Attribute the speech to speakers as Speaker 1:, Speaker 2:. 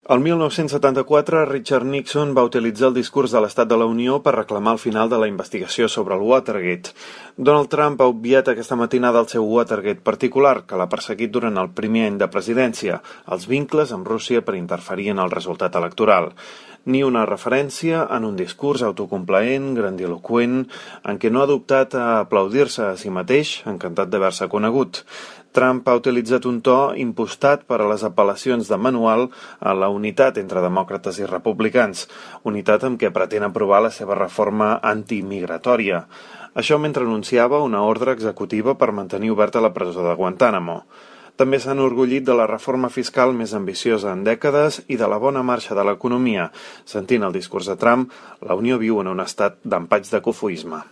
Speaker 1: El 1974, Richard Nixon va utilitzar el discurs de l'Estat de la Unió per reclamar el final de la investigació sobre el Watergate. Donald Trump ha obviat aquesta matinada el seu Watergate particular, que l'ha perseguit durant el primer any de presidència, els vincles amb Rússia per interferir en el resultat electoral. Ni una referència en un discurs autocomplaent, grandiloqüent, en què no ha dubtat a aplaudir-se a si mateix, encantat d'haver-se conegut. Trump ha utilitzat un to impostat per a les apel·lacions de manual a la unitat entre demòcrates i republicans, unitat amb què pretén aprovar la seva reforma antimigratòria. Això mentre anunciava una ordre executiva per mantenir oberta la presó de Guantánamo. També s'han enorgullit de la reforma fiscal més ambiciosa en dècades i de la bona marxa de l'economia. Sentint el discurs de Trump, la Unió viu en un estat d'empatx de cofoisme.